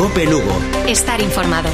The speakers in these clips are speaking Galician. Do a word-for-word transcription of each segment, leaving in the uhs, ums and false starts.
Cope Lugo. Estar informado.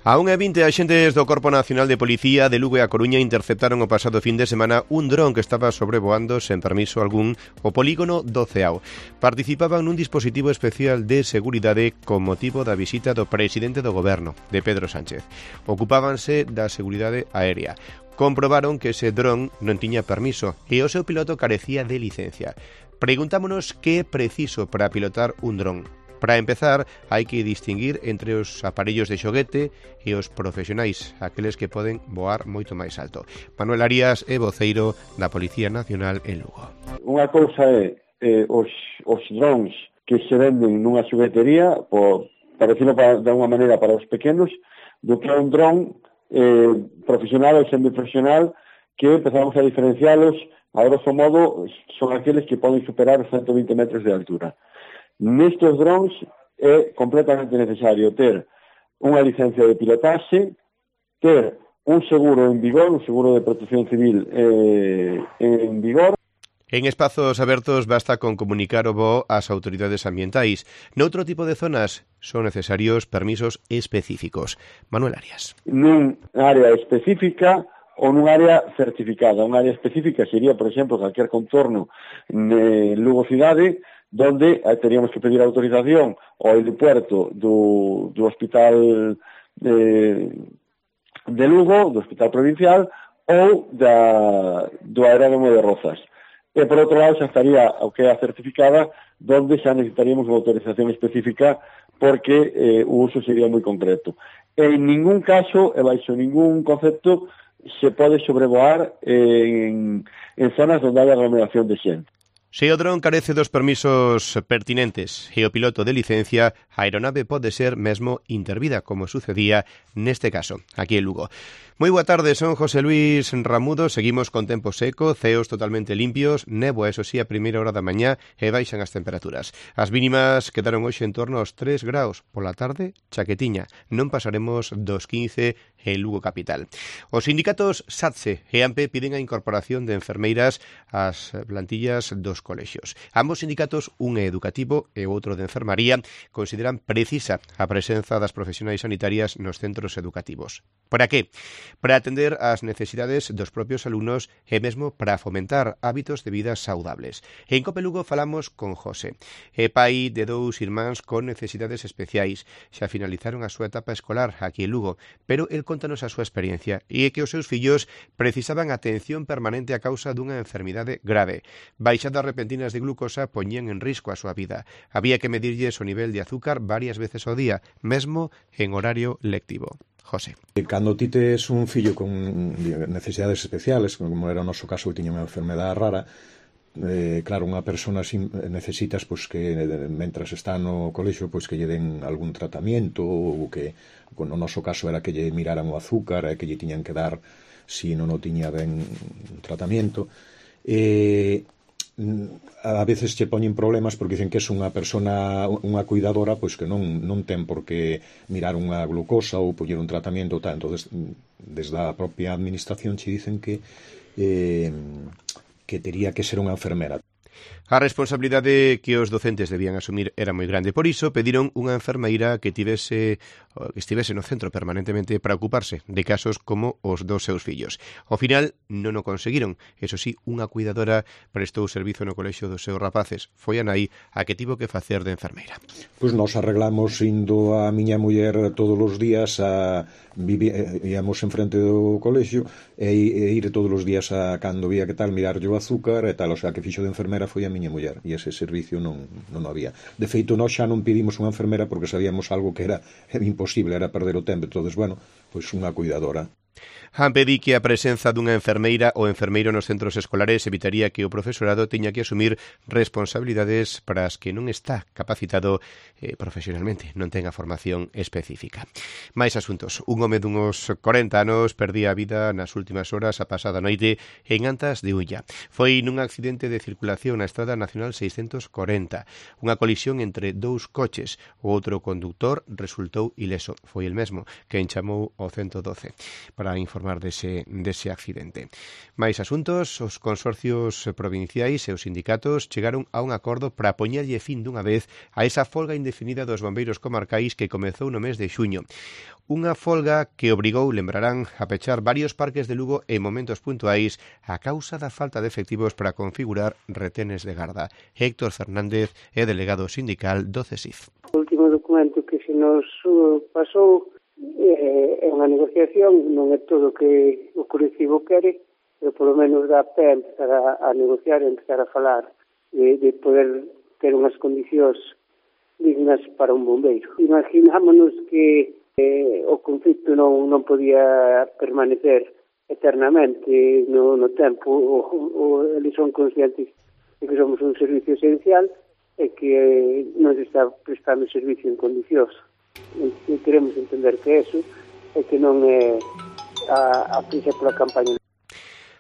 A unha e vinte axentes do Corpo Nacional de Policía de Lugo e A Coruña interceptaron o pasado fin de semana un dron que estaba sobrevoando sen permiso algún o polígono do Ceao. Participaban nun dispositivo especial de seguridade con motivo da visita do presidente do Goberno, de Pedro Sánchez. Ocupábanse da seguridade aérea. Comprobaron que ese dron non tiña permiso e o seu piloto carecía de licencia. Preguntámonos que é preciso para pilotar un dron. Para empezar, hai que distinguir entre os aparellos de xoguete e os profesionais, aqueles que poden voar moito máis alto. Manuel Arias é voceiro da Policía Nacional en Lugo. Unha cousa é eh, os, os drones que se venden nunha xoguetería, por, para decirlo para, de unha maneira para os pequenos, do que é un dron eh, profesional ou semiprofesional, que empezamos a diferencialos, a grosso modo, son aqueles que poden superar os ciento vinte metros de altura. Nestes drones é completamente necesario ter unha licencia de pilotaxe, ter un seguro en vigor, un seguro de protección civil eh, en vigor. En espazos abertos basta con comunicar o voo ás autoridades ambientais. Noutro tipo de zonas son necesarios permisos específicos. Manuel Arias. Nun área específica ou nun área certificada. Unha área específica sería, por exemplo, calquer contorno en Lugo cidade, donde eh, teríamos que pedir autorización ao helipuerto do, do hospital de, de Lugo, do hospital provincial, ou da, do aeródromo de Rozas. E, por outro lado, xa estaría o que é a certificada, donde xa necesitaríamos unha autorización específica, porque eh, o uso sería moi concreto. En ningún caso, e baixo ningún concepto, se pode sobrevoar en, en zonas onde hai aglomeración de xente. Se o dron carece dos permisos pertinentes e o piloto de licencia, a aeronave pode ser mesmo intervida, como sucedía neste caso, aquí en Lugo. Moi boa tarde, son José Luis Ramudo, seguimos con tempo seco, ceos totalmente limpios, néboa, eso sí, a primeira hora da mañá e baixan as temperaturas. As mínimas quedaron hoxe en torno aos tres graus, pola tarde, chaquetiña, non pasaremos dos quince en Lugo capital. Os sindicatos SATSE e AMPE piden a incorporación de enfermeiras ás plantillas dos colexios. Ambos sindicatos, un é educativo e o outro de enfermaría, consideran precisa a presenza das profesionais sanitarias nos centros educativos. Para que? Para atender ás necesidades dos propios alumnos e mesmo para fomentar hábitos de vida saudables. En Cope Lugo falamos con José, é pai de dous irmáns con necesidades especiais. Xa finalizaron a súa etapa escolar aquí en Lugo, pero el contanos a súa experiencia e é que os seus fillos precisaban atención permanente a causa dunha enfermidade grave. Baixadas repentinas de glucosa poñían en risco a súa vida. Había que medirlles o nivel de azúcar varias veces ao día, mesmo en horario lectivo. José. Cando ti tes un fillo con necesidades especiales, como era o noso caso, que tiña unha enfermedade rara, eh, claro, unha persona sin, necesitas pois, que mentras está no colexo pois, que lle den algún tratamento, ou que no noso caso era que lle miraran o azúcar, e que lle tiñan que dar si non o tiña ben tratamento. E a veces che poñen problemas porque dicen que é unha persona, unha cuidadora, pois que non, non ten por que mirar unha glucosa ou poñer un tratamento tal. Entonces, desde a propia administración che dicen que eh, que tería que ser unha enfermera. A responsabilidade que os docentes debían asumir era moi grande, por iso pediron unha enfermeira que tivese que estivese no centro permanentemente para ocuparse de casos como os dos seus fillos. Ao final non o conseguiron, eso sí, unha cuidadora prestou servizo no colexio dos seus rapaces. Foi a nai a que tivo que facer de enfermeira. Pois nos arreglamos indo a miña muller todos os días a vivi, íamos enfrente do colexio e, e ir todos os días a cando vía que tal mirarlle o azúcar e tal, o sea que fixo de enfermera foi a miña muller e ese servicio non, non había. De feito, nós xa non pedimos unha enfermera porque sabíamos algo que era, era imposible, era perder o tempo. Entonces, bueno, pois unha cuidadora. AMPE di que a presenza dunha enfermeira ou enfermeiro nos centros escolares evitaría que o profesorado teña que asumir responsabilidades para as que non está capacitado eh, profesionalmente, non ten a formación específica. Mais asuntos. Un home dunos corenta anos perdía a vida nas últimas horas a pasada noite en Antas de Ulla. Foi nun accidente de circulación na Estrada Nacional seiscentos corenta. Unha colisión entre dous coches. O outro conductor resultou ileso. Foi el mesmo quen chamou ao ciento doce. Para para informar dese, dese accidente. Mais asuntos, os consorcios provinciais e os sindicatos chegaron a un acordo para poñerlle fin dunha vez a esa folga indefinida dos bombeiros comarcais que comezou no mes de xuño. Unha folga que obrigou, lembrarán, a pechar varios parques de Lugo en momentos puntuais a causa da falta de efectivos para configurar retenes de garda. Héctor Fernández é delegado sindical do C E S I F. O último documento que se nos pasou é unha negociación, non é todo o que o colectivo quere, pero polo menos dá pé a empezar a, a negociar e empezar a falar de, de poder ter unhas condicións dignas para un bombeiro. Imaginámonos que eh, o conflito non, non podía permanecer eternamente no, no tempo, o, o, eles son conscientes de que somos un servicio esencial e que eh, non se está prestando servicio en condicións. E queremos entender que eso é que non é a, a prisa pola campaña.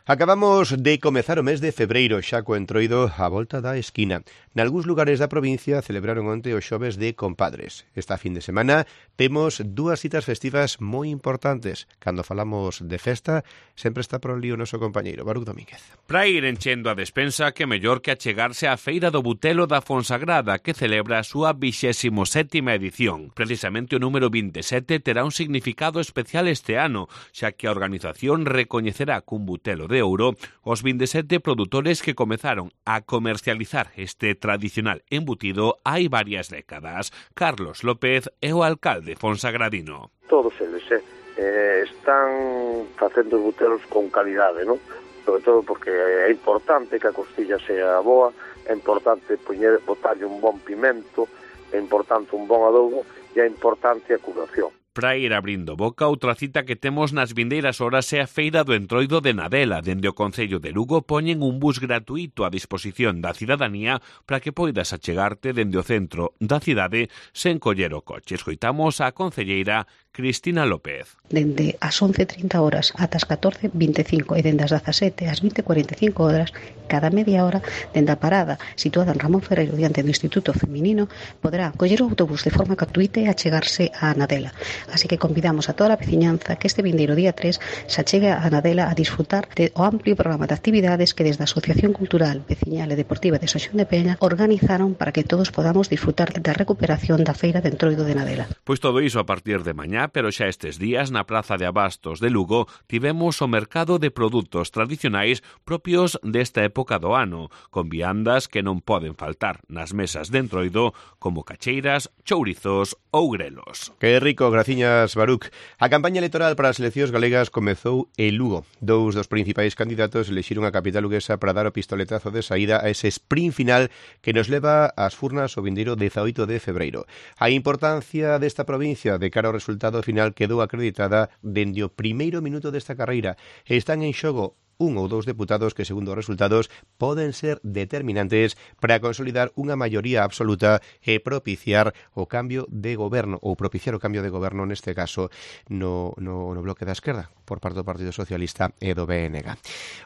Acabamos de comezar o mes de febreiro, xa co entroido á volta da esquina. Nalgúns lugares da provincia celebraron onte os xoves de compadres. Esta fin de semana temos dúas citas festivas moi importantes. Cando falamos de festa, sempre está por ali o noso compañeiro, Baruch Domínguez. Para ir enchendo a despensa, que mellor que achegarse á Feira do Butelo da Fonsagrada, que celebra a súa vixésimo sétima edición. Precisamente o número vinte e sete terá un significado especial este ano, xa que a organización recoñecerá cun butelo de euro os vinte e sete produtores que comezaron a comercializar este tradicional embutido hai varias décadas. Carlos López é o alcalde fonsagradino. Todos eles eh, están facendo butelos con calidade, non? Sobre todo porque é importante que a costilla sea boa, é importante poñer, botarlle un bon pimento, é importante un bon adobo e é importante a curación. Para ir abrindo boca, outra cita que temos nas vindeiras horas é a Feira do Entroido de Nadela. Dende o Concello de Lugo poñen un bus gratuito a disposición da cidadanía para que poidas achegarte dende o centro da cidade sen coller o coche. Escoitamos a concelleira Cristina López. Dende as once e trinta horas ata as catorce e vinte e cinco e dende as dezasete ás vinte e cuarenta e cinco horas, cada media hora, dende a parada situada en Ramón Ferreiro diante do Instituto Feminino, poderá coller o autobús de forma gratuita e achegarse a Nadela. Así que convidamos a toda a veciñanza que este vindeiro día tres se achegue a Nadela a disfrutar de o amplio programa de actividades que desde a Asociación Cultural, Veciñal e Deportiva de Saxón de Peña organizaron para que todos podamos disfrutar da recuperación da Feira de Entroido de Nadela. Pois todo iso a partir de mañá, pero xa estes días na Praza de Abastos de Lugo tivemos o mercado de produtos tradicionais propios desta época do ano, con viandas que non poden faltar nas mesas de Entroido como cacheiras, chourizos ou grelos. Que rico, graciñas, Baruch. A campaña electoral para as eleccións galegas comezou en Lugo. Dous dos principais candidatos elixiron a capital luguesa para dar o pistoletazo de saída a ese sprint final que nos leva ás furnas o vindeiro dezaoito de febreiro. A importancia desta provincia de cara ao resultado final quedou acreditada dende o primeiro minuto desta carreira. Están en xogo un ou dous deputados que, segundo os resultados, poden ser determinantes para consolidar unha maioría absoluta e propiciar o cambio de goberno, ou propiciar o cambio de goberno, neste caso, no, no, no bloque da esquerda, por parte do Partido Socialista e do B N G.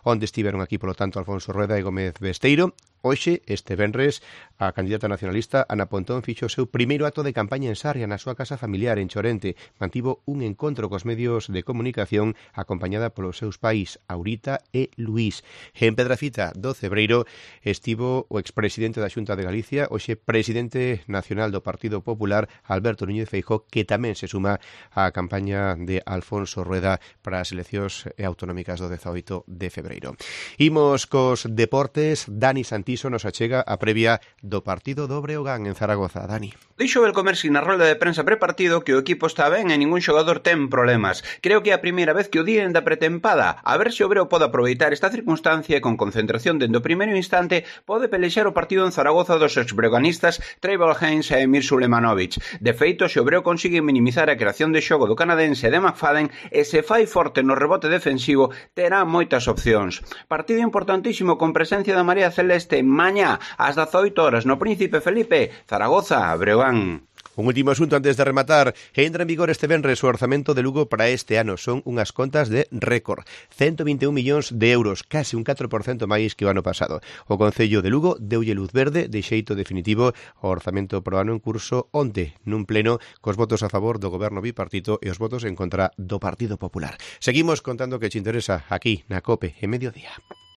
Onde estiveron aquí, polo tanto, Alfonso Rueda e Gómez Besteiro. Hoxe, este venres, a candidata nacionalista Ana Pontón fixo o seu primeiro acto de campaña en Sarria, na súa casa familiar en Chorente. Mantivo un encontro cos medios de comunicación acompañada polos seus pais, Aurita e Luís. En Pedrafita do Cebreiro estivo o expresidente da Xunta de Galicia, hoxe presidente nacional do Partido Popular, Alberto Núñez Feijóo, que tamén se suma á campaña de Alfonso Rueda para as eleccións autonómicas do dezaoito de febreiro. Imos cos deportes. Dani Santiso nos achega a previa do partido do Breogán en Zaragoza. Dani. Dixo Belcomersi na rolda de prensa prepartido que o equipo está ben e ningún xogador ten problemas. Creo que é a primeira vez que o díen da pretempada. A ver se o Breo pode aproveitar esta circunstancia e con concentración dende o primeiro instante pode pelexar o partido en Zaragoza dos exbreganistas Trevor Haynes e Emir Sulemanovic. De feito, se o Breo consigue minimizar a creación de xogo do canadense de McFadden e se fai forte no rebote defensivo, terá moitas opcións. Partido importantísimo con presencia da María Celeste mañá ás dezaoito horas no Príncipe Felipe, Zaragoza, Breogán. Un último asunto antes de rematar. Entra en vigor este venres o orzamento de Lugo para este ano. Son unhas contas de récord. ciento veintiún millóns de euros, case un catro por cento máis que o ano pasado. O Concello de Lugo deulle luz verde de xeito definitivo ao orzamento pro ano en curso onte, nun pleno cos votos a favor do goberno bipartito e os votos en contra do Partido Popular. Seguimos contando que te interesa aquí na COPE en Mediodía.